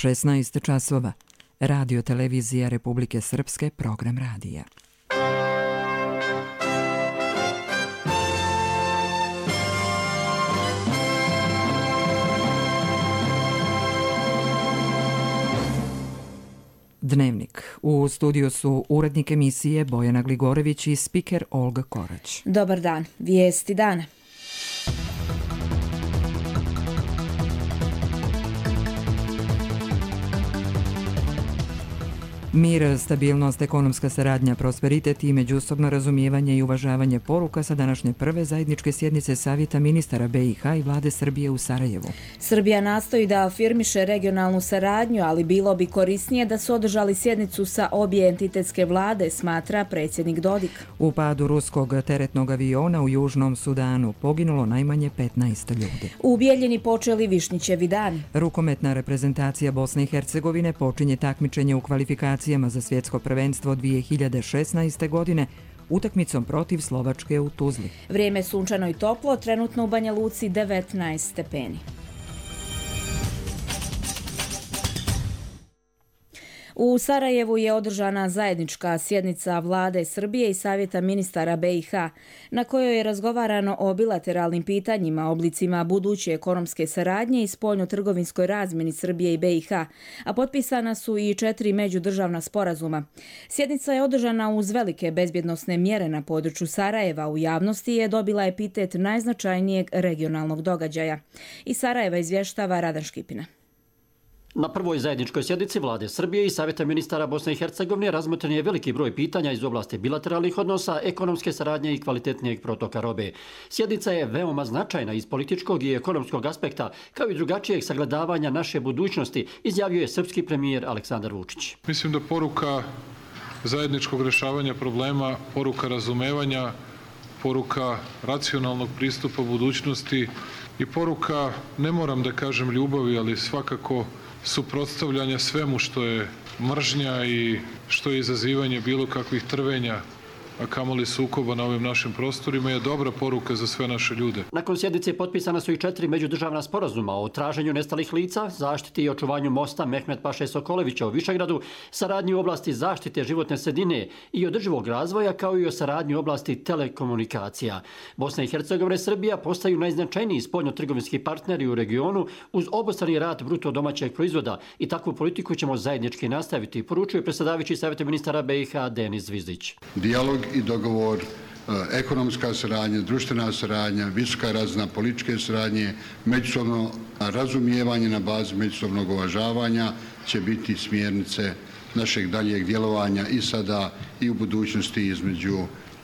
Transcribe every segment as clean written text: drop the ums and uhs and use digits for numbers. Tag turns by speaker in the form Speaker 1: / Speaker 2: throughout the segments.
Speaker 1: 16 časova. Radio televizija Republike Srpske, program radija. Dnevnik. U studiju su urednik emisije Bojana Gligorević i spiker Olga Korać.
Speaker 2: Dobar dan. Vijesti dana.
Speaker 1: Mir, stabilnost, ekonomska saradnja, prosperitet i međusobno razumijevanje i uvažavanje poruka sa današnje prve zajedničke sjednice Savjeta ministara BiH i Vlade Srbije u Sarajevu.
Speaker 2: Srbija nastoji da afirmiše regionalnu saradnju, ali bilo bi korisnije da su održali sjednicu sa obje entitetske vlade, smatra predsjednik Dodik.
Speaker 1: U padu ruskog teretnog aviona u Južnom Sudanu poginulo najmanje 15 ljudi.
Speaker 2: U Bijeljini počeli Višnjićevi dani.
Speaker 1: Rukometna reprezentacija Bosne i Hercegovine počinje takmičenje u kvalifikacijama za svjetsko prvenstvo 2016. godine utakmicom protiv Slovačke u Tuzli.
Speaker 2: Vrijeme sunčano i toplo, trenutno u Banja Luci 19 stepeni. U Sarajevu je održana zajednička sjednica Vlade Srbije i Savjeta ministara BiH, na kojoj je razgovarano o bilateralnim pitanjima, oblicima buduće ekonomske saradnje i spoljno-trgovinskoj razmjeni Srbije i BiH, a potpisana su i 4 međudržavna sporazuma. Sjednica je održana uz velike bezbjednosne mjere na području Sarajeva. U javnosti je dobila epitet najznačajnijeg regionalnog događaja. Iz Sarajeva izvještava Radan Škipina.
Speaker 3: Na prvoj zajedničkoj sjednici Vlade Srbije i Savjeta ministara Bosne i Hercegovine razmotren je veliki broj pitanja iz oblasti bilateralnih odnosa, ekonomske saradnje i kvalitetnijeg protoka robe. Sjednica je veoma značajna iz političkog i ekonomskog aspekta, kao i drugačijeg sagledavanja naše budućnosti, izjavio je srpski premijer Aleksandar Vučić.
Speaker 4: Mislim da poruka zajedničkog rješavanja problema, poruka razumevanja, poruka racionalnog pristupa budućnosti i poruka, ne moram da kažem ljubavi, ali svakako suprotstavljanja svemu što je mržnja i što je izazivanje bilo kakvih trvenja, a kamoli sukoba na ovim našim prostorima, je dobra poruka za sve naše ljude.
Speaker 3: Nakon sjednice potpisana su i 4 međudržavna sporazuma o traženju nestalih lica, zaštiti i očuvanju mosta Mehmet Paše Sokolevića u Višegradu, saradnji u oblasti zaštite životne sredine i održivog razvoja, kao i o saradnji u oblasti telekomunikacija. Bosna i Hercegovina i Srbija postaju najznačajniji spoljno-trgovinski partneri u regionu uz obostrani rast bruto domaćeg proizvoda i takvu politiku ćemo zajednički nastaviti, poručuje predsjedavajući Savjeta ministara BiH Denis Zvizdić.
Speaker 5: Dijalog i dogovor, ekonomska saradnja, društvena saradnja, visoka razina političke saradnje, međusobno razumijevanje na bazi međusobnog uvažavanja će biti smjernice našeg daljeg djelovanja i sada i u budućnosti između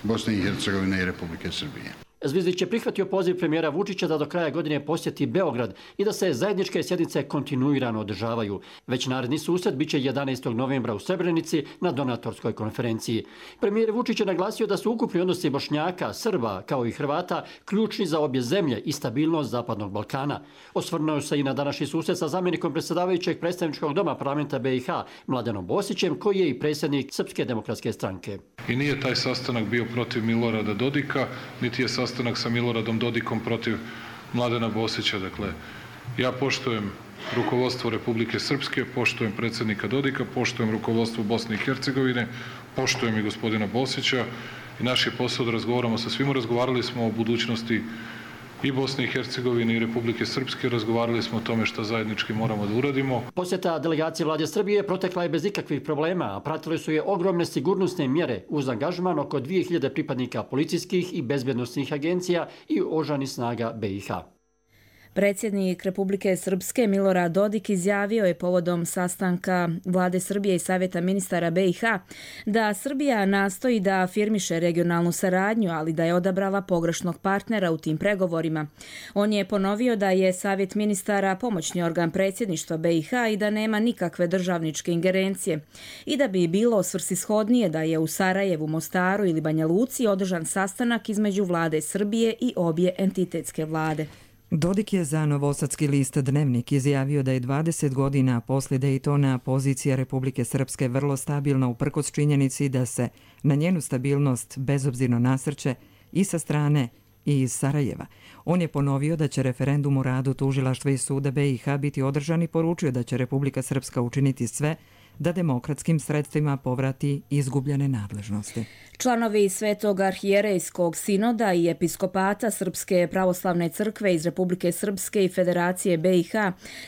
Speaker 5: Bosne i Hercegovine i Republike Srbije.
Speaker 3: Zvizdić je prihvatio poziv premijera Vučića da do kraja godine posjeti Beograd i da se zajedničke sjednice kontinuirano održavaju. Već naredni susret biće 11. novembra u Srebrenici na donatorskoj konferenciji. Premijer Vučić je naglasio da su ukupni odnosi Bošnjaka, Srba kao i Hrvata ključni za obje zemlje i stabilnost Zapadnog Balkana. Osvrnuo se i na današnji susret sa zamjenikom predsjedavajućeg predstavničkog doma parlamenta BiH Mladenom Bosićem, koji je i predsjednik Srpske demokratske stranke.
Speaker 4: I nije taj sastanak bio protiv Milorada Dodika, niti je sastanak sa Miloradom Dodikom protiv Mladena Bosića. Dakle, ja poštujem rukovodstvo Republike Srpske, poštujem predsjednika Dodika, poštujem rukovodstvo Bosne i Hercegovine, poštujem i gospodina Bosića i naš je posao da razgovaramo sa svima. Razgovarali smo o budućnosti i Bosne i Hercegovine i Republike Srpske, razgovarali smo o tome što zajednički moramo da uradimo.
Speaker 3: Posjeta delegacije Vlade Srbije protekla je bez ikakvih problema, a pratile su je ogromne sigurnosne mjere uz angažman oko 2000 pripadnika policijskih i bezbjednosnih agencija i oružanih snaga BiH.
Speaker 2: Predsjednik Republike Srpske Milorad Dodik izjavio je povodom sastanka Vlade Srbije i Savjeta ministara BiH da Srbija nastoji da afirmiše regionalnu saradnju, ali da je odabrala pogrešnog partnera u tim pregovorima. On je ponovio da je Savjet ministara pomoćni organ predsjedništva BiH i da nema nikakve državničke ingerencije i da bi bilo svrsishodnije da je u Sarajevu, Mostaru ili Banja Luci održan sastanak između Vlade Srbije i obje entitetske vlade.
Speaker 1: Dodik je za novosadski list Dnevnik izjavio da je 20 godina poslije Dejtona pozicija Republike Srpske vrlo stabilna uprkos činjenici da se na njenu stabilnost bezobzirno nasrće i sa strane i iz Sarajeva. On je ponovio da će referendum o radu tužilaštva i suda BiH biti održan i poručio da će Republika Srpska učiniti sve da demokratskim sredstvima povrati izgubljene nadležnosti.
Speaker 2: Članovi Svetog arhijerejskog sinoda i episkopata Srpske pravoslavne crkve iz Republike Srpske i Federacije BiH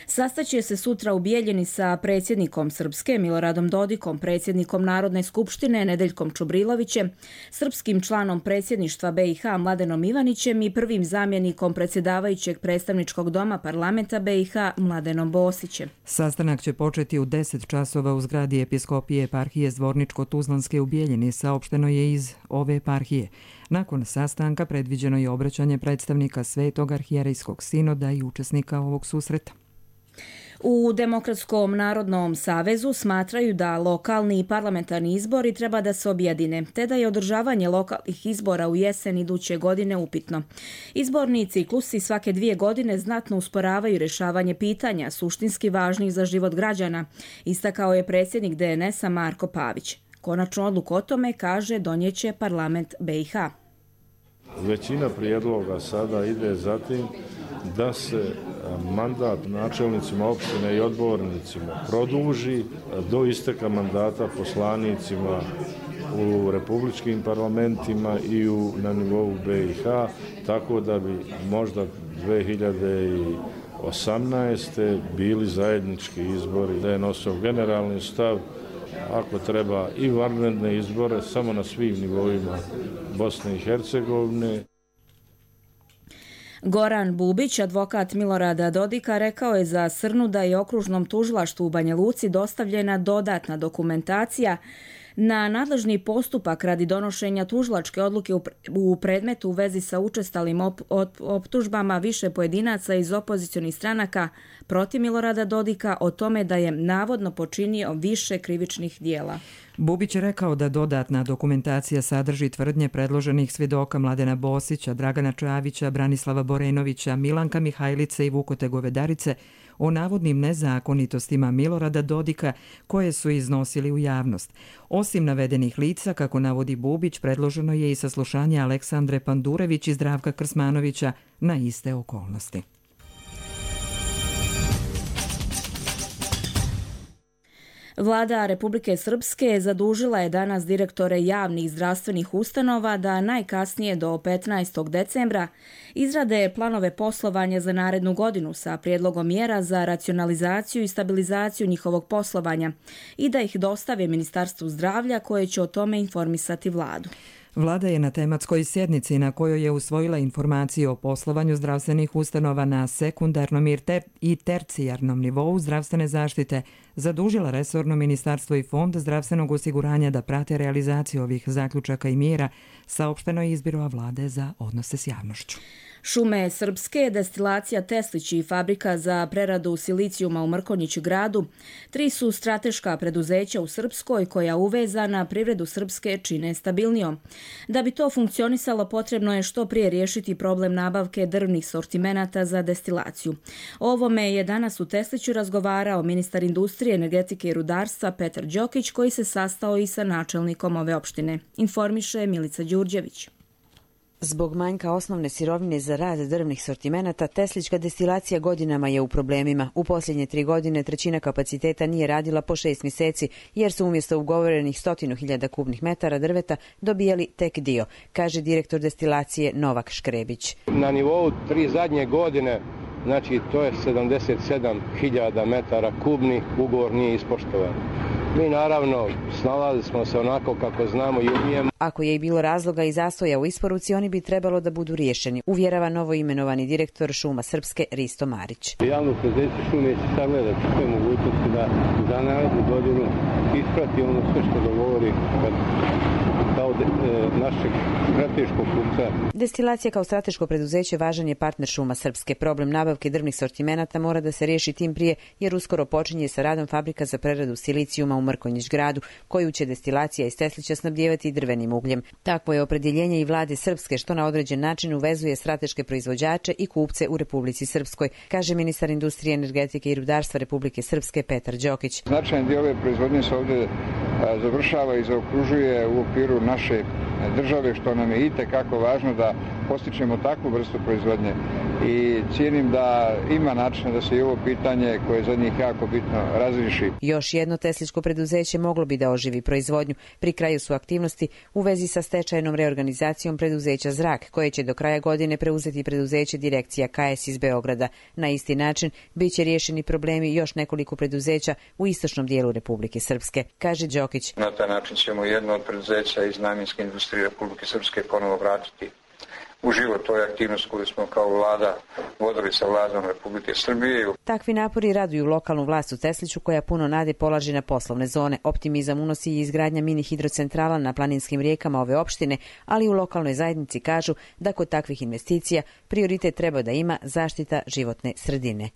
Speaker 2: sastaće se sutra u Bijeljini sa predsjednikom Srpske Miloradom Dodikom, predsjednikom Narodne skupštine Nedeljkom Čubrilovićem, srpskim članom predsjedništva BiH Mladenom Ivanićem i prvim zamjenikom predsjedavajućeg predstavničkog doma parlamenta BiH Mladenom Bosićem.
Speaker 1: Sastanak će početi u 10 časova u zgradi episkopije eparhije Zvorničko-Tuzlanske u Bijeljini, saopšteno je iz ove eparhije. Nakon sastanka predviđeno je obraćanje predstavnika Svetog arhijerejskog sinoda i učesnika ovog susreta.
Speaker 2: U Demokratskom narodnom savezu smatraju da lokalni i parlamentarni izbori treba da se objedine, te da je održavanje lokalnih izbora u jesen iduće godine upitno. Izborni ciklusi svake 2 godine znatno usporavaju rješavanje pitanja suštinski važnih za život građana, istakao je predsjednik DNS-a Marko Pavić. Konačnu odluku o tome, kaže, donijeće parlament BiH.
Speaker 6: Većina prijedloga sada ide za tim da se mandat načelnicima opštine i odbornicima produži do isteka mandata poslanicima u republičkim parlamentima i na nivou BiH, tako da bi možda 2018. bili zajednički izbori, da je nosio generalni stav, ako treba i vanredne izbore, samo na svim nivoima Bosne i Hercegovine.
Speaker 2: Goran Bubić, advokat Milorada Dodika, rekao je za Srnu da je okružnom tužilaštvu u Banja Luci dostavljena dodatna dokumentacija na nadležni postupak radi donošenja tužilačke odluke u predmetu u vezi sa učestalim optužbama više pojedinaca iz opozicionih stranaka protiv Milorada Dodika o tome da je navodno počinio više krivičnih dijela.
Speaker 1: Bubić je rekao da dodatna dokumentacija sadrži tvrdnje predloženih svjedoka Mladena Bosića, Dragana Čavića, Branislava Borenovića, Milanka Mihajlice i Vukote Govedarice o navodnim nezakonitostima Milorada Dodika koje su iznosili u javnost. Osim navedenih lica, kako navodi Bubić, predloženo je i saslušanje Aleksandre Pandurević i Zdravka Krsmanovića na iste okolnosti.
Speaker 2: Vlada Republike Srpske zadužila je danas direktore javnih zdravstvenih ustanova da najkasnije do 15. decembra izrade planove poslovanja za narednu godinu sa prijedlogom mjera za racionalizaciju i stabilizaciju njihovog poslovanja i da ih dostave Ministarstvu zdravlja koje će o tome informisati vladu.
Speaker 1: Vlada je na tematskoj sjednici na kojoj je usvojila informacije o poslovanju zdravstvenih ustanova na sekundarnom i tercijarnom nivou zdravstvene zaštite zadužila resorno ministarstvo i Fond zdravstvenog osiguranja da prate realizaciju ovih zaključaka i mjera, saopšteno je iz Biroa vlade za odnose s javnošću.
Speaker 2: Šume Srpske, destilacija Teslić i fabrika za preradu silicijuma u Mrkonjić gradu 3 su strateška preduzeća u Srpskoj koja uvezana privredu Srpske čine stabilnijom. Da bi to funkcionisalo, potrebno je što prije riješiti problem nabavke drvnih sortimenata za destilaciju. O ovome je danas u Tesliću razgovarao ministar industrije, energetike i rudarstva Petar Đokić, koji se sastao i sa načelnikom ove opštine. Informiše Milica Đurđević.
Speaker 7: Zbog manjka osnovne sirovine za rad drvnih sortimenata, teslička destilacija godinama je u problemima. U posljednje 3 godine trećina kapaciteta nije radila po 6 mjeseci, jer su umjesto ugovorenih 100.000 kubnih metara drveta dobijali tek dio, kaže direktor destilacije Novak Škrebić.
Speaker 8: Na nivou 3 zadnje godine, znači to je 77.000 metara kubnih, ugovor nije ispoštovan. Mi naravno snalazili smo se onako kako znamo i umijemo.
Speaker 7: Ako je i bilo razloga i zastoja u isporuci, oni bi trebalo da budu riješeni, uvjerava novoimenovani direktor Šuma Srpske Risto Marić.
Speaker 8: Javno preduzeće Šume će sagledati sve mogućnosti da za narednu godinu isprati ono sve što dogovori kao našeg strateškog kupca.
Speaker 7: Destilacija kao strateško preduzeće važan je partner Šuma Srpske. Problem nabavke drvnih sortimenata mora da se riješi tim prije, jer uskoro počinje sa radom fabrika za preradu silicijuma u Mrkonjić gradu, koju će destilacija iz Teslića snabdijevati drvenim ugljem. Takvo je opredjeljenje i vlade Srpske, što na određen način uvezuje strateške proizvođače i kupce u Republici Srpskoj, kaže ministar industrije, energetike i rudarstva Republike Srpske Petar Đokić.
Speaker 8: Značajan dio ove proizvodnje se ovdje
Speaker 9: završava i zaokružuje u okviru naše države, što nam je itekako važno da postičemo takvu vrstu proizvodnje. I cijenim da ima načina da se i ovo pitanje koje je za njih jako bitno razriješi.
Speaker 7: Još jedno tesličko preduzeće moglo bi da oživi proizvodnju. Pri kraju su aktivnosti u vezi sa stečajnom reorganizacijom preduzeća Zrak, koje će do kraja godine preuzeti preduzeće Direkcija KS iz Beograda. Na isti način biće riješeni problemi još nekoliko preduzeća u istočnom dijelu Republike Srpske, kaže Đokić.
Speaker 10: Na taj način ćemo jedno od preduzeća iz namjenske industrije Republike Srpske ponovo vratiti u život. To je aktivnost koju smo kao vlada vodili sa vladom Republike Srbije.
Speaker 7: Takvi napori raduju lokalnu vlast u Tesliću, koja puno nade polaže na poslovne zone. Optimizam unosi i izgradnja mini hidrocentrala na planinskim rijekama ove opštine, ali u lokalnoj zajednici kažu da kod takvih investicija prioritet treba da ima zaštita životne sredine.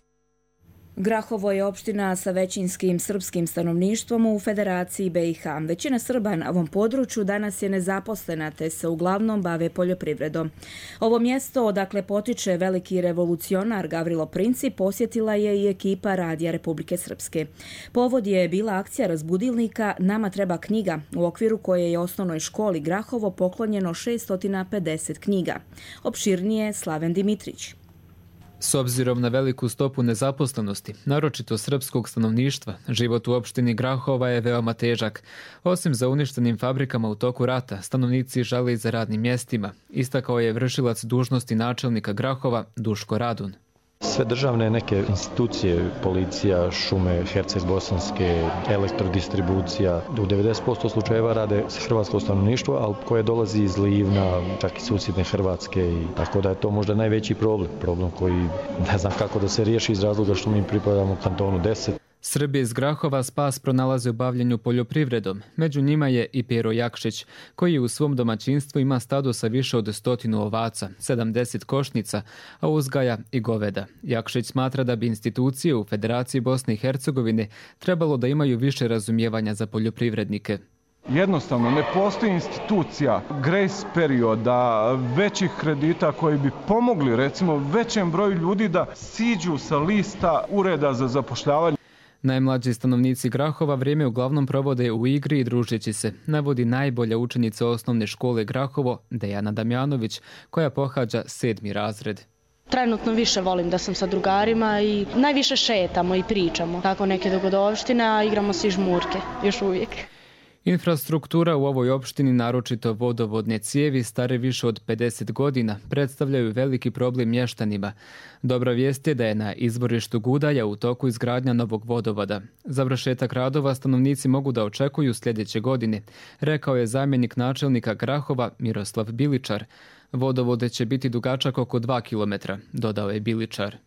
Speaker 2: Grahovo je opština sa većinskim srpskim stanovništvom u Federaciji BiH. Većina Srba na ovom području danas je nezaposlena, te se uglavnom bave poljoprivredom. Ovo mjesto, odakle potiče veliki revolucionar Gavrilo Princip, posjetila je i ekipa Radija Republike Srpske. Povod je bila akcija razbudilnika Nama treba knjiga, u okviru koje je osnovnoj školi Grahovo poklonjeno 650 knjiga. Opširnije Slaven Dimitrić.
Speaker 11: S obzirom na veliku stopu nezaposlenosti, naročito srpskog stanovništva, život u opštini Grahova je veoma težak. Osim za uništenim fabrikama u toku rata, stanovnici žale i za radnim mjestima, istakao je vršilac dužnosti načelnika Grahova Duško Radun.
Speaker 12: Sve državne neke institucije, policija, šume, Herceg-Bosanske, elektrodistribucija, u 90% slučajeva rade hrvatsko stanovništvo, ali koje dolazi iz Livna, čak i susjedne Hrvatske. Tako da je to možda najveći problem koji ne znam kako da se riješi iz razloga što mi pripadamo kantonu 10.
Speaker 11: Srbi iz Grahova spas pronalaze u bavljenju poljoprivredom. Među njima je i Pero Jakšić, koji u svom domaćinstvu ima stado sa više od 100 ovaca, 70 košnica, a uzgaja i goveda. Jakšić smatra da bi institucije u Federaciji Bosne i Hercegovine trebalo da imaju više razumijevanja za poljoprivrednike.
Speaker 13: Jednostavno, ne postoji institucija, grace perioda, većih kredita koji bi pomogli, recimo, većem broju ljudi da siđu sa lista ureda za zapošljavanje.
Speaker 11: Najmlađi stanovnici Grahova vrijeme uglavnom provode u igri i družeći se, navodi najbolja učenica osnovne škole Grahovo, Dejana Damjanović, koja pohađa 7. razred.
Speaker 14: Trenutno više volim da sam sa drugarima i najviše šetamo i pričamo. Tako neke dogodovštine, a igramo se i žmurke, još uvijek.
Speaker 11: Infrastruktura u ovoj opštini, naročito vodovodne cijevi stare više od 50 godina, predstavljaju veliki problem mještanima. Dobra vijest je da je na izvorištu Gudaja u toku izgradnja novog vodovoda. Završetak radova stanovnici mogu da očekuju sljedeće godine, rekao je zamjenik načelnika Grahova Miroslav Biličar. Vodovode će biti dugačak oko 2 km, dodao je Biličar.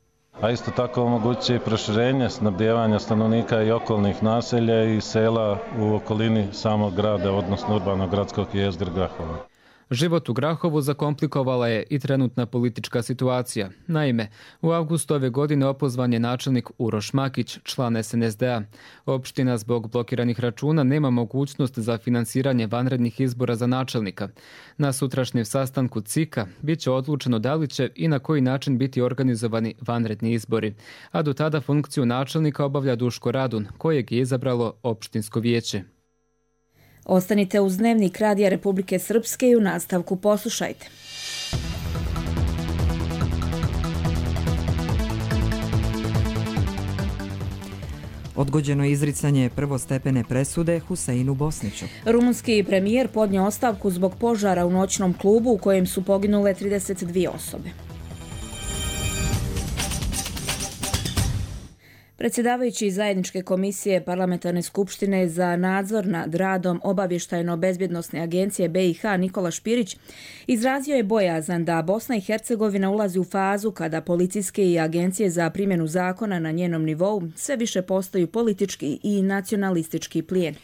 Speaker 12: A isto tako omogućuje i proširenje snabdijevanja stanovnika i okolnih naselja i sela u okolini samog grada, odnosno urbanog gradskog jezgra Grahova.
Speaker 11: Život u Grahovu zakomplikovala je i trenutna politička situacija. Naime, u avgustu ove godine opozvan je načelnik Uroš Makić, član SNSD-a. Opština zbog blokiranih računa nema mogućnost za finansiranje vanrednih izbora za načelnika. Na sutrašnjem sastanku CIK-a bit će odlučeno da li će i na koji način biti organizovani vanredni izbori. A do tada funkciju načelnika obavlja Duško Radun, kojeg je izabralo opštinsko vijeće.
Speaker 2: Ostanite uz Dnevnik Radija Republike Srpske i u nastavku poslušajte.
Speaker 1: Odgođeno izricanje prvostepene presude Huseinu Bosniću.
Speaker 2: Rumunski premijer podnio ostavku zbog požara u noćnom klubu u kojem su poginule 32 osobe. Predsjedavajući zajedničke komisije Parlamentarne skupštine za nadzor nad radom Obavještajno-bezbjednosne agencije BiH Nikola Špirić izrazio je bojazan da Bosna i Hercegovina ulazi u fazu kada policijske i agencije za primjenu zakona na njenom nivou sve više postaju politički i nacionalistički plijen.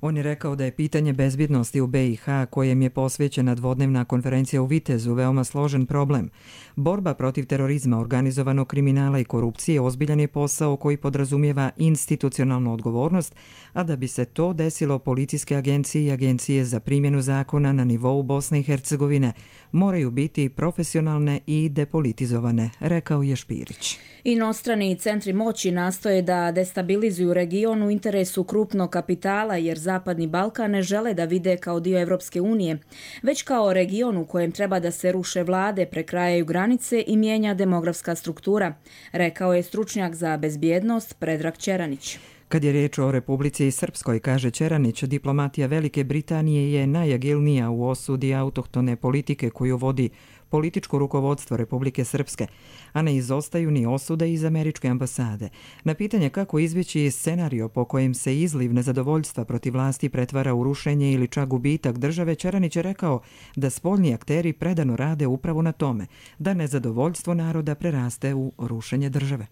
Speaker 1: On je rekao da je pitanje bezbjednosti u BiH, kojem je posvećena dvodnevna konferencija u Vitezu, veoma složen problem. Borba protiv terorizma, organizovanog kriminala i korupcije ozbiljan je posao koji podrazumijeva institucionalnu odgovornost, a da bi se to desilo, policijske agencije i agencije za primjenu zakona na nivou Bosne i Hercegovine moraju biti profesionalne i depolitizovane, rekao je Špirić.
Speaker 2: Inostrani centri moći nastoje da destabilizuju region u interesu krupnog kapitala jer Zapadni Balkan ne žele da vide kao dio Evropske unije, već kao region u kojem treba da se ruše vlade, prekrajaju granice i mijenja demografska struktura, rekao je stručnjak za bezbjednost Predrag Ćeranić.
Speaker 1: Kad je riječ o Republici Srpskoj, kaže Ćeranić, diplomatija Velike Britanije je najagilnija u osudi autohtone politike koju vodi političko rukovodstvo Republike Srpske, a ne izostaju ni osude iz američke ambasade. Na pitanje kako izbjeći scenario po kojem se izliv nezadovoljstva protiv vlasti pretvara u rušenje ili čak gubitak države, Ćeranić je rekao da spoljni akteri predano rade upravo na tome, da nezadovoljstvo naroda preraste u rušenje države.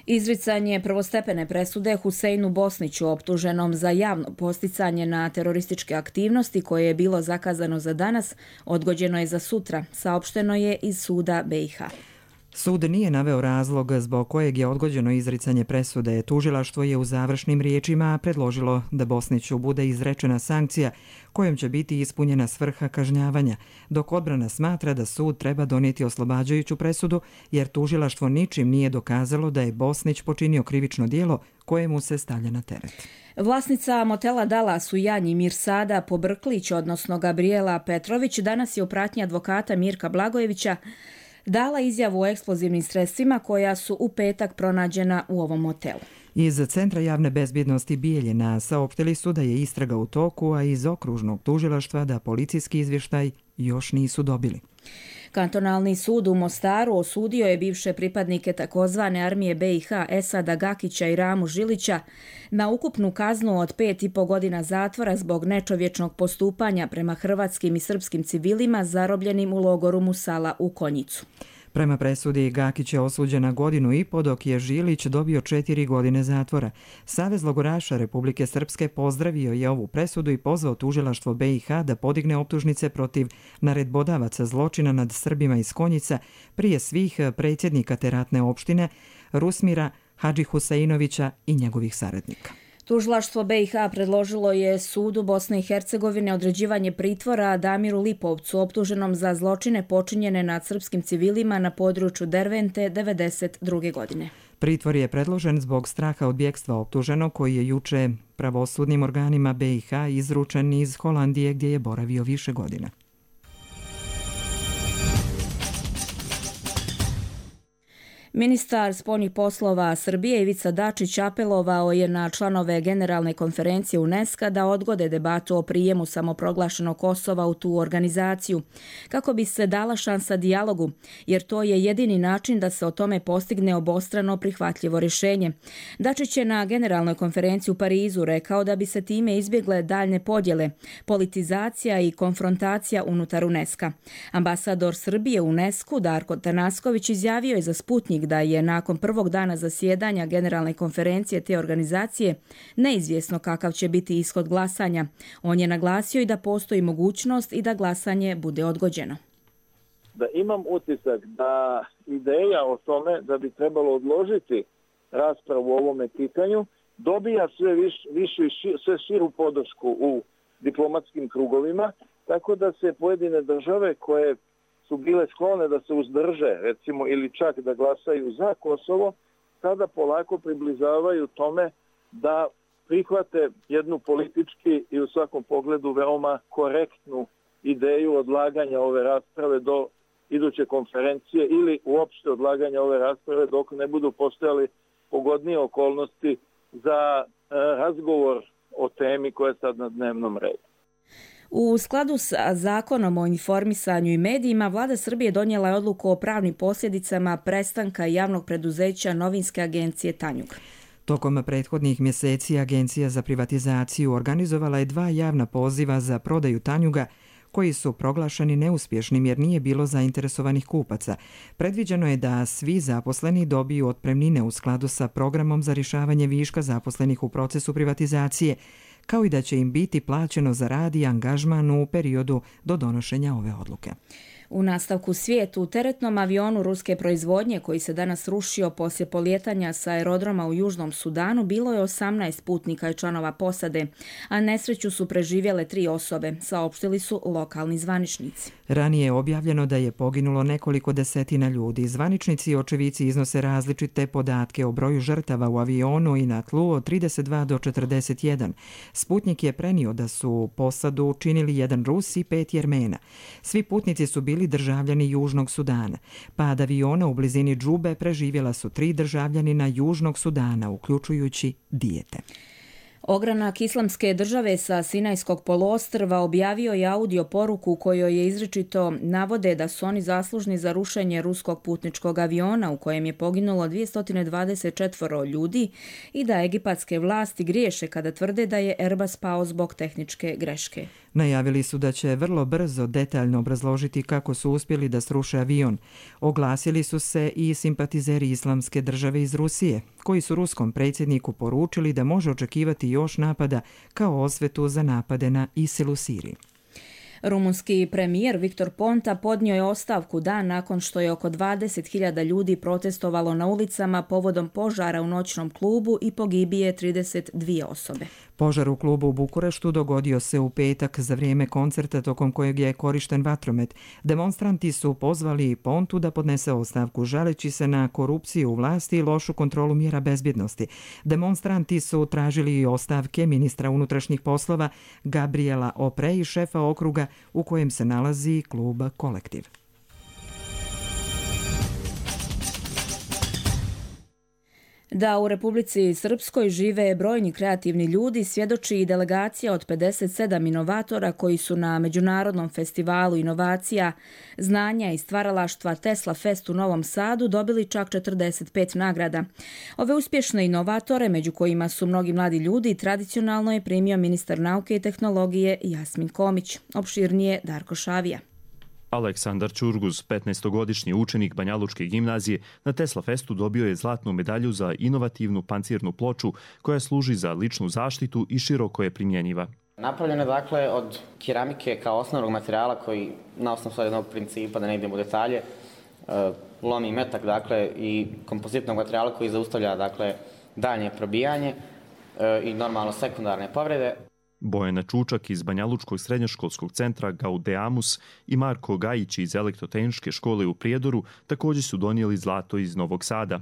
Speaker 2: Izricanje prvostepene presude Huseinu Bosniću, optuženom za javno posticanje na terorističke aktivnosti koje je bilo zakazano za danas, odgođeno je za sutra, saopšteno je iz suda BiH.
Speaker 1: Sud nije naveo razlog zbog kojeg je odgođeno izricanje presude. Tužilaštvo je u završnim riječima predložilo da Bosniću bude izrečena sankcija kojom će biti ispunjena svrha kažnjavanja, dok odbrana smatra da sud treba donijeti oslobađajuću presudu jer tužilaštvo ničim nije dokazalo da je Bosnić počinio krivično djelo kojemu se stavlja na teret.
Speaker 2: Vlasnica motela Dallas u Janji Mirsada Pobrklić, odnosno Gabriela Petrović, danas je u pratnji advokata Mirka Blagojevića dala izjavu o eksplozivnim sredstvima koja su u petak pronađena u ovom motelu.
Speaker 1: Iz Centra javne bezbjednosti Bijeljina saopštili su da je istraga u toku, a iz okružnog tužilaštva da policijski izvještaj još nisu dobili.
Speaker 2: Kantonalni sud u Mostaru osudio je bivše pripadnike takozvane armije BiH Esada Gakića i Ramu Žilića na ukupnu kaznu od 5,5 godina zatvora zbog nečovječnog postupanja prema hrvatskim i srpskim civilima zarobljenim u logoru Musala u Konjicu.
Speaker 1: Prema presudi Gakić je osuđen na 1,5 godine, dok je Žilić dobio 4 godine zatvora. Savez logoraša Republike Srpske pozdravio je ovu presudu i pozvao tužilaštvo BiH da podigne optužnice protiv naredbodavaca zločina nad Srbima iz Konjica, prije svih predsjednika te ratne opštine Rusmira Hadži Huseinovića i njegovih saradnika.
Speaker 2: Tužilaštvo BiH predložilo je sudu Bosne i Hercegovine određivanje pritvora Damiru Lipovcu, optuženom za zločine počinjene nad srpskim civilima na području Dervente 1992. godine.
Speaker 1: Pritvor je predložen zbog straha od bjekstva optuženog koji je juče pravosudnim organima BiH izručen iz Holandije gdje je boravio više godina.
Speaker 2: Ministar spoljnih poslova Srbije Ivica Dačić apelovao je na članove Generalne konferencije UNESCO da odgode debatu o prijemu samoproglašenog Kosova u tu organizaciju, kako bi se dala šansa dijalogu, jer to je jedini način da se o tome postigne obostrano prihvatljivo rješenje. Dačić je na Generalnoj konferenciji u Parizu rekao da bi se time izbjegle daljne podjele, politizacija i konfrontacija unutar UNESCO. Ambasador Srbije u UNESCO Darko Tanasković izjavio je za Sputnjik da je nakon prvog dana zasjedanja Generalne konferencije te organizacije neizvjesno kakav će biti ishod glasanja. On je naglasio i da postoji mogućnost i da glasanje bude odgođeno.
Speaker 15: Da imam utisak da ideja o tome da bi trebalo odložiti raspravu o ovome pitanju dobija sve širu podršku u diplomatskim krugovima, tako da se pojedine države koje su bile sklone da se uzdrže, recimo, ili čak da glasaju za Kosovo, sada polako približavaju tome da prihvate jednu politički i u svakom pogledu veoma korektnu ideju odlaganja ove rasprave do iduće konferencije ili uopšte odlaganja ove rasprave dok ne budu postojali pogodnije okolnosti za razgovor o temi koja je sad na dnevnom redu.
Speaker 2: U skladu sa Zakonom o informisanju i medijima, Vlada Srbije donijela je odluku o pravnim posljedicama prestanka javnog preduzeća Novinske agencije Tanjug.
Speaker 1: Tokom prethodnih mjeseci Agencija za privatizaciju organizovala je 2 javna poziva za prodaju Tanjuga koji su proglašeni neuspješnim jer nije bilo zainteresovanih kupaca. Predviđeno je da svi zaposleni dobiju otpremnine u skladu sa programom za rješavanje viška zaposlenih u procesu privatizacije, kao i da će im biti plaćeno za rad i angažman u periodu do donošenja ove odluke.
Speaker 2: U nastavku svijetu, u teretnom avionu ruske proizvodnje koji se danas rušio poslije polijetanja sa aerodroma u Južnom Sudanu bilo je 18 putnika i članova posade, a nesreću su preživjele 3 osobe, saopštili su lokalni zvaničnici.
Speaker 1: Ranije je objavljeno da je poginulo nekoliko desetina ljudi. Zvaničnici i očevici iznose različite podatke o broju žrtava u avionu i na tlu od 32 do 41. Sputnik je prenio da su posadu činili 1 Rus i 5 Jermena. Svi putnici su bili državljani Južnog Sudana. Pad aviona u blizini Džube preživjela su 3 državljanina Južnog Sudana, uključujući dijete.
Speaker 2: Ogranak Islamske države sa Sinajskog poluostrva objavio je audio poruku u kojoj je izričito navode da su oni zaslužni za rušenje ruskog putničkog aviona u kojem je poginulo 224 ljudi i da egipatske vlasti griješe kada tvrde da je Airbus pao zbog tehničke greške.
Speaker 1: Najavili su da će vrlo brzo detaljno obrazložiti kako su uspjeli da sruše avion. Oglasili su se i simpatizeri Islamske države iz Rusije, koji su ruskom predsjedniku poručili da može očekivati još napada kao osvetu za napade na ISIL u Siriji.
Speaker 2: Rumunski premijer Viktor Ponta podnio je ostavku dan nakon što je oko 20.000 ljudi protestovalo na ulicama povodom požara u noćnom klubu i pogibije 32 osobe.
Speaker 1: Požar u klubu u Bukureštu dogodio se u petak za vrijeme koncerta tokom kojeg je korišten vatromet. Demonstranti su pozvali Pontu da podnese ostavku žaleći se na korupciju u vlasti i lošu kontrolu mjera bezbjednosti. Demonstranti su tražili i ostavke ministra unutrašnjih poslova Gabriela Opre i šefa okruga u kojem se nalazi klub Kolektiv.
Speaker 2: Da u Republici Srpskoj žive brojni kreativni ljudi svjedoči i delegacija od 57 inovatora koji su na Međunarodnom festivalu inovacija, znanja i stvaralaštva Tesla Fest u Novom Sadu dobili čak 45 nagrada. Ove uspješne inovatore, među kojima su mnogi mladi ljudi, tradicionalno je primio ministar nauke i tehnologije Jasmin Komić. Opširnije Darko Šavija.
Speaker 16: Aleksandar Ćurguz, 15-godišnji učenik Banjalučke gimnazije, na Tesla Festu dobio je zlatnu medalju za inovativnu pancirnu ploču koja služi za ličnu zaštitu i široko je primjenjiva.
Speaker 17: Napravljeno je dakle od keramike kao osnovnog materijala koji na osnovu jednog principa, da ne idemo u detalje, lomi metak dakle i kompozitnog materijala koji zaustavlja dakle daljnje probijanje i normalno sekundarne povrede.
Speaker 16: Bojana Čučak iz Banjalučkog srednjoškolskog centra Gaudeamus i Marko Gajić iz Elektrotehničke škole u Prijedoru također su donijeli zlato iz Novog Sada.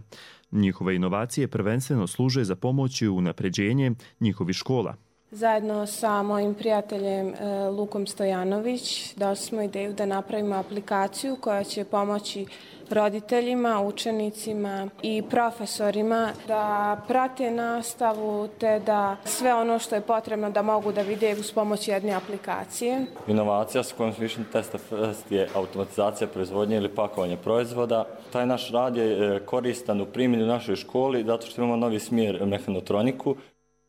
Speaker 16: Njihove inovacije prvenstveno služe za pomoć i unapređenje njihovih škola.
Speaker 18: Zajedno sa mojim prijateljem Lukom Stojanović dali smo ideju da napravimo aplikaciju koja će pomoći roditeljima, učenicima i profesorima da prate nastavu te da sve ono što je potrebno da mogu da vide uz pomoć jedne aplikacije.
Speaker 19: Inovacija s kojom smo išli na Tesla Fest je automatizacija proizvodnje ili pakovanja proizvoda. Taj naš rad je koristan u primjeni u našoj školi zato što imamo novi smjer mehanotroniku.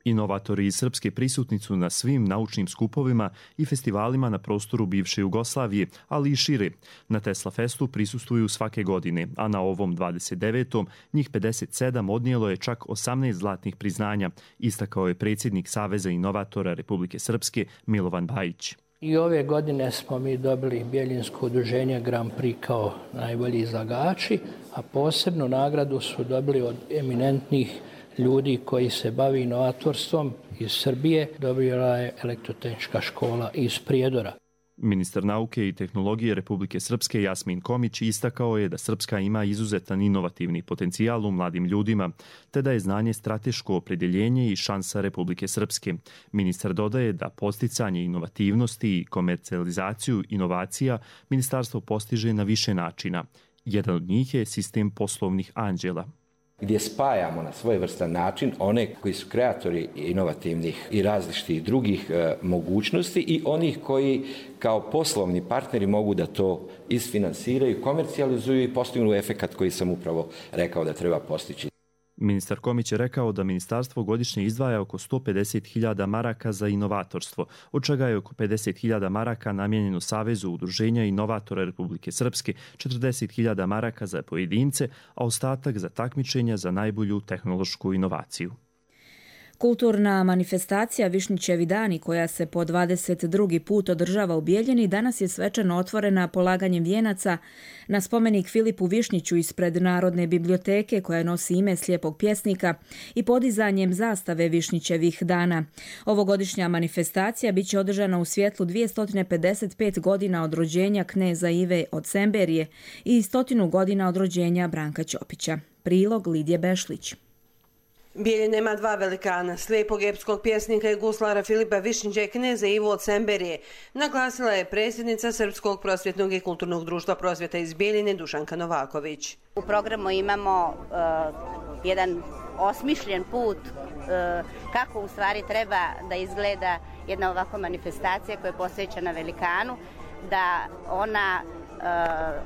Speaker 16: Inovatori iz Srpske prisutni su na svim naučnim skupovima i festivalima na prostoru bivše Jugoslavije, ali i šire. Na Tesla Festu prisustvuju svake godine, a na ovom 29. njih 57 odnijelo je čak 18 zlatnih priznanja, istakao je predsjednik Saveza inovatora Republike Srpske Milovan Bajić.
Speaker 20: I ove godine smo mi dobili Bjeljinsko udruženje Grand Prix kao najbolji izlagači, a posebnu nagradu su dobili od eminentnih ljudi koji se bavi inovatorstvom iz Srbije, dobila je Elektrotehnička škola iz Prijedora.
Speaker 16: Ministar nauke i tehnologije Republike Srpske Jasmin Komić istakao je da Srpska ima izuzetan inovativni potencijal u mladim ljudima, te da je znanje strateško opredjeljenje i šansa Republike Srpske. Ministar dodaje da posticanje inovativnosti i komercijalizaciju inovacija ministarstvo postiže na više načina. Jedan od njih je sistem poslovnih anđela,
Speaker 21: gdje spajamo na svojevrstan način one koji su kreatori inovativnih i različitih drugih mogućnosti i onih koji kao poslovni partneri mogu da to isfinansiraju, komercijalizuju i postignu efekat koji sam upravo rekao da treba postići.
Speaker 16: Ministar Komić je rekao da ministarstvo godišnje izdvaja oko 150.000 maraka za inovatorstvo, od čega je oko 50.000 maraka namijenjeno Savezu udruženja inovatora Republike Srpske, 40.000 maraka za pojedince, a ostatak za takmičenja za najbolju tehnološku inovaciju.
Speaker 2: Kulturna manifestacija Višnjićevi dani, koja se po 22. put održava u Bijeljini, danas je svečano otvorena polaganjem vijenaca na spomenik Filipu Višnjiću ispred Narodne biblioteke, koja nosi ime slijepog pjesnika, i podizanjem zastave Višnjićevih dana. Ovogodišnja manifestacija biće održana u svjetlu 255 godina od rođenja kneza Ive od Semberije i 100 godina od rođenja Branka Ćopića. Prilog Lidije Bešlić.
Speaker 5: Bijeljina ima dva velikana, slijepog epskog pjesnika i guslara Filipa Višnjića i kneza Ivu od Semberije, naglasila je predsjednica Srpskog prosvjetnog i kulturnog društva prosvjeta iz Bijeljine Dušanka Novaković.
Speaker 22: U programu imamo jedan osmišljen put kako u stvari treba da izgleda jedna ovakva manifestacija koja je posvećena velikanu, da ona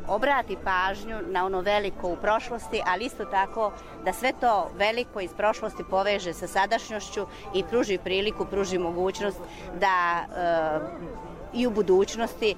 Speaker 22: obrati pažnju na ono veliko u prošlosti, ali isto tako da sve to veliko iz prošlosti poveže sa sadašnjošću i pruži priliku, pruži mogućnost da i u budućnosti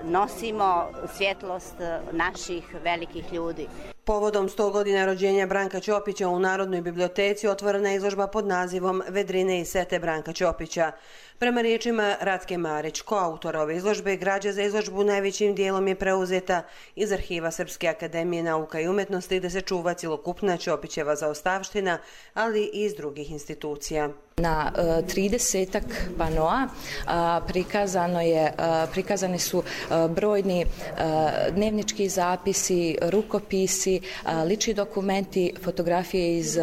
Speaker 22: nosimo svjetlost naših velikih ljudi.
Speaker 5: Povodom 100 godina rođenja Branka Ćopića u Narodnoj biblioteci otvorena je izložba pod nazivom Vedrine i sete Branka Ćopića. Prema riječima Ratke Marić, koautora ove izložbe, građa za izložbu najvećim dijelom je preuzeta iz arhiva Srpske akademije nauka i umjetnosti, gdje se čuva cjelokupna Ćopićeva zaostavština, ali i iz drugih institucija.
Speaker 23: Na 30-ak panoa prikazani su brojni dnevnički zapisi, rukopisi, lični dokumenti, fotografije iz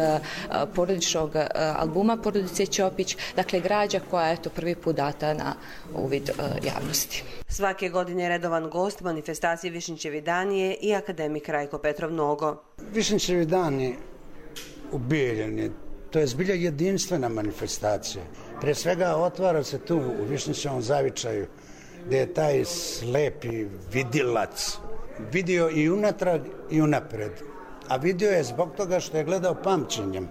Speaker 23: porodičnog albuma porodice Ćopić, dakle građa koja je prvi put data na uvid javnosti.
Speaker 5: Svake godine redovan gost manifestacije Višnjićevi dani je i akademik Rajko Petrov Nogo.
Speaker 24: Višnjićevi dani u Bijeljini, to je zbilja jedinstvena manifestacija. Prije svega otvara se tu u Višnjićevom zavičaju, gdje je taj slepi vidilac vidio i unatrag i unapred. A vidio je zbog toga što je gledao pamćenjem.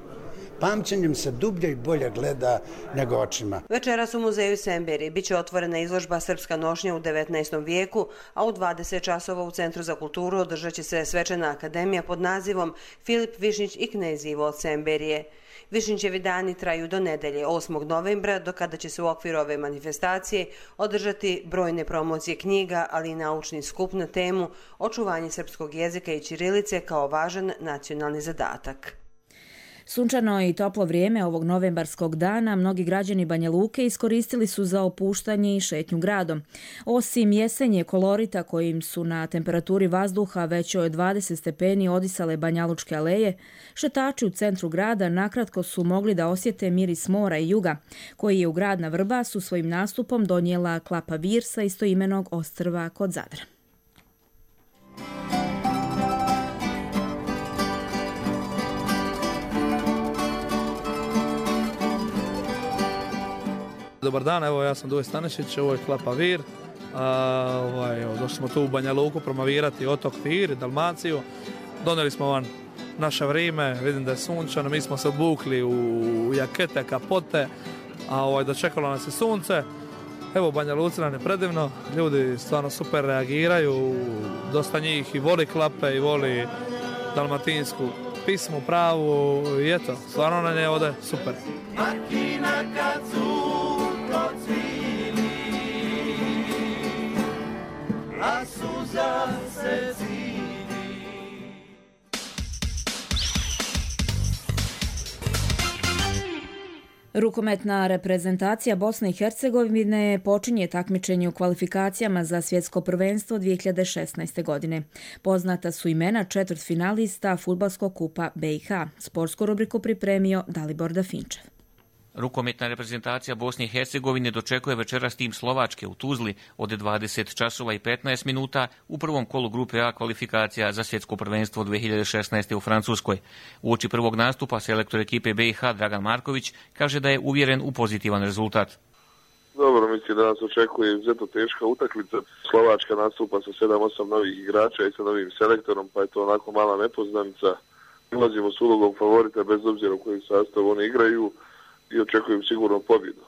Speaker 24: Pamćenjem se dublje i bolje gleda nego očima.
Speaker 5: Večeras u muzeju Semberije biće otvorena izložba Srpska nošnja u 19. vijeku, a u 20 časova u Centru za kulturu održat će se svečana akademija pod nazivom Filip Višnjić i knez Ivo od Semberije. Višnjićevi dani traju do nedelje 8. novembra, do kada će se u okviru ove manifestacije održati brojne promocije knjiga, ali i naučni skup na temu očuvanje srpskog jezika i ćirilice kao važan nacionalni zadatak.
Speaker 2: Sunčano i toplo vrijeme ovog novembarskog dana mnogi građani Banja Luke iskoristili su za opuštanje i šetnju gradom. Osim jesenje kolorita kojim su na temperaturi vazduha većoj od 20 stepeni odisale banjalučke aleje, šetači u centru grada nakratko su mogli da osjete miris mora i juga, koji je u grad na Vrbasu svojim nastupom donijela Klapa Vir sa istoimenog ostrva kod Zadra.
Speaker 25: Dobar dan, evo ja sam Duje Stanišić, ovo je Klapa Vir. Došli smo tu u Banja Luku promovirati otok Vir, Dalmaciju. Donijeli smo vam naše vrijeme, vidim da je sunčano, mi smo se obukli u jakete, kapote, a dočekalo nas je sunce. Evo u Banja Luci nam je predivno, ljudi stvarno super reagiraju, dosta njih i voli klape i voli dalmatinsku pismu pravu i eto, stvarno nam je ovdje super.
Speaker 26: A suza se cili.
Speaker 2: Rukometna reprezentacija Bosne i Hercegovine počinje takmičenje u kvalifikacijama za svjetsko prvenstvo 2016. godine. Poznata su imena četvrtfinalista Fudbalskog kupa BiH. Sportsku rubriku pripremio Dalibor Dafinčev.
Speaker 27: Rukometna reprezentacija Bosne i Hercegovine dočekuje večeras tim Slovačke u Tuzli od 20 časova i 15 minuta u prvom kolu grupe A kvalifikacija za svjetsko prvenstvo 2016. u Francuskoj. Uoči prvog nastupa selektor ekipe BiH Dragan Marković kaže da je uvjeren u pozitivan rezultat.
Speaker 28: Dobro, mislim da nas očekuje izuzetno teška utakmica. Slovačka nastupa sa 7-8 novih igrača i sa novim selektorom, pa je to onako mala nepoznanica. Ulazimo s ulogom favorita bez obzira u kojem sastavu oni igraju i očekujem sigurno pobjedu.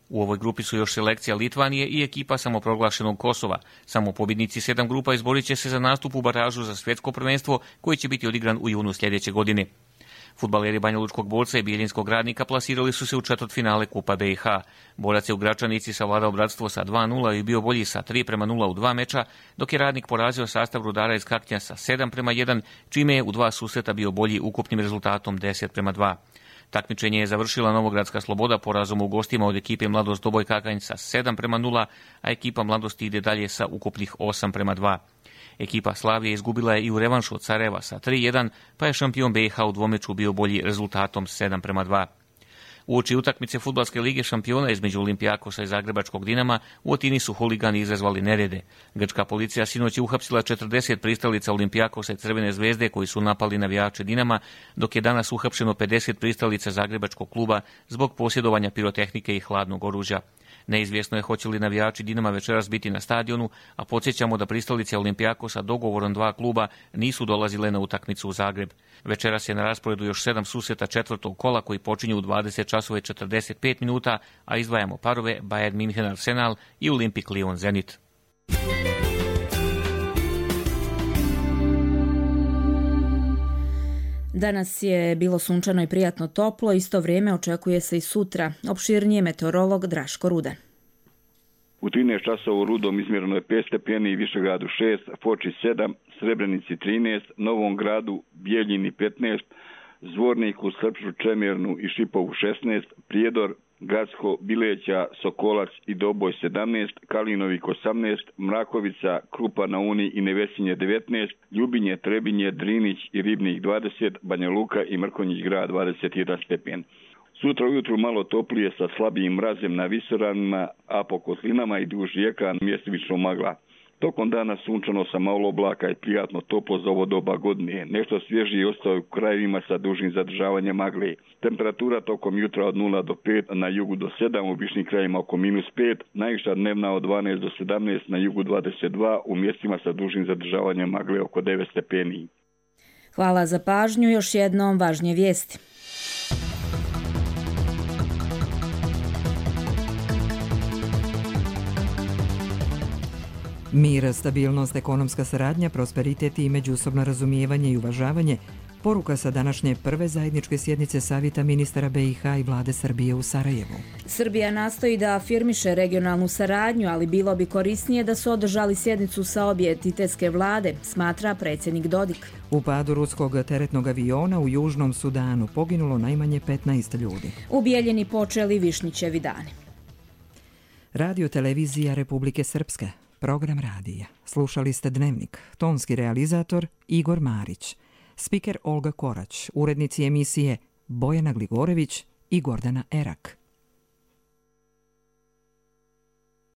Speaker 27: U ovoj grupi su još selekcija Litvanije i ekipa samoproglašenog Kosova. Samo pobjednici 7 grupa izborit će se za nastup u baražu za svjetsko prvenstvo koji će biti odigran u junu sljedeće godine. Fudbaleri Banjalučkog Borca i Bijeljinskog Radnika plasirali su se u četvrtfinale Kupa BiH. Borac je u Gračanici savladao Bratstvo sa 2:0 i bio bolji sa 3:0 u 2 meča, dok je Radnik porazio sastav Rudara iz Kaknja sa 7:1, čime je u 2 susreta bio bolji ukupnim rezultatom 10:2. Takmičenje je završila Novogradska Sloboda porazom u gostima od ekipe Mladost Doboj Kakanj sa 7:0, a ekipa Mladosti ide dalje sa ukupnih 8:2. Ekipa Slavije izgubila je i u revanšu od Sarajeva sa 3:1, pa je šampion BiH u dvomeču bio bolji rezultatom 7:2. Uoči utakmice Fudbalske lige šampiona između Olimpijakosa i Zagrebačkog Dinama u Atini su huligani izazvali nerede. Grčka policija sinoć je uhapsila 40 pristalica Olimpijakosa i Crvene zvezde koji su napali navijače Dinama, dok je danas uhapšeno 50 pristalica Zagrebačkog kluba zbog posjedovanja pirotehnike i hladnog oružja. Neizvjesno je hoće li navijači Dinama večeras biti na stadionu, a podsjećamo da pristalice Olimpijakosa dogovorom 2 kluba nisu dolazile na utakmicu u Zagreb. Večeras je na rasporedu još 7 susreta četvrtog kola koji počinju u 20:45, a izdvajamo parove Bayern München Arsenal i Olimpik Lyon Zenit.
Speaker 2: Danas je bilo sunčano i prijatno toplo, isto vrijeme očekuje se i sutra. Opširnije meteorolog Draško Rudan.
Speaker 3: U 13 časova u Rudom izmjereno je 5 stepeni, Višegradu 6, Foči 7, Srebrenici 13, Novom Gradu, Bijeljini 15, Zvorniku, Srpšu, Čemernu i Šipovu 16, Prijedor, Gradsko, Bileća, Sokolac i Doboj 17, Kalinovik 18, Mrakovica, Krupa na Uni i Nevesinje 19, Ljubinje, Trebinje, Drinić i Ribnik 20, Banja Luka i Mrkonjić grad 21 stepen. Sutra ujutru malo toplije sa slabijim mrazem na visoravnima, a po kotlinama i duž rijeka mjestimično magla. Tokom dana sunčano sa malo oblaka i prijatno toplo za ovo doba godine. Nešto svježiji ostao u krajevima sa dužim zadržavanjem magle. Temperatura tokom jutra od 0 do 5, na jugu do 7, u višnim krajima oko -5, najviša dnevna od 12 do 17, na jugu 22, u mjestima sa dužim zadržavanjem magle oko 9 stepeni.
Speaker 2: Hvala za pažnju, još jednom važnije vijesti.
Speaker 1: Mir, stabilnost, ekonomska saradnja, prosperitet i međusobno razumijevanje i uvažavanje, poruka sa današnje prve zajedničke sjednice Savjeta ministara BiH i vlade Srbije u Sarajevu.
Speaker 2: Srbija nastoji da afirmiše regionalnu saradnju, ali bilo bi korisnije da su održali sjednicu sa obje entitetske vlade, smatra predsjednik Dodik.
Speaker 1: U padu ruskog teretnog aviona u Južnom Sudanu poginulo najmanje 15 ljudi.
Speaker 2: U Bijeljini počeli Višnjićevi dani.
Speaker 1: Radio televizija Republike Srpske. Program radija. Slušali ste Dnevnik. Tonski realizator Igor Marić. Spiker Olga Korać. Urednici emisije Bojana Gligorević i Gordana Erak.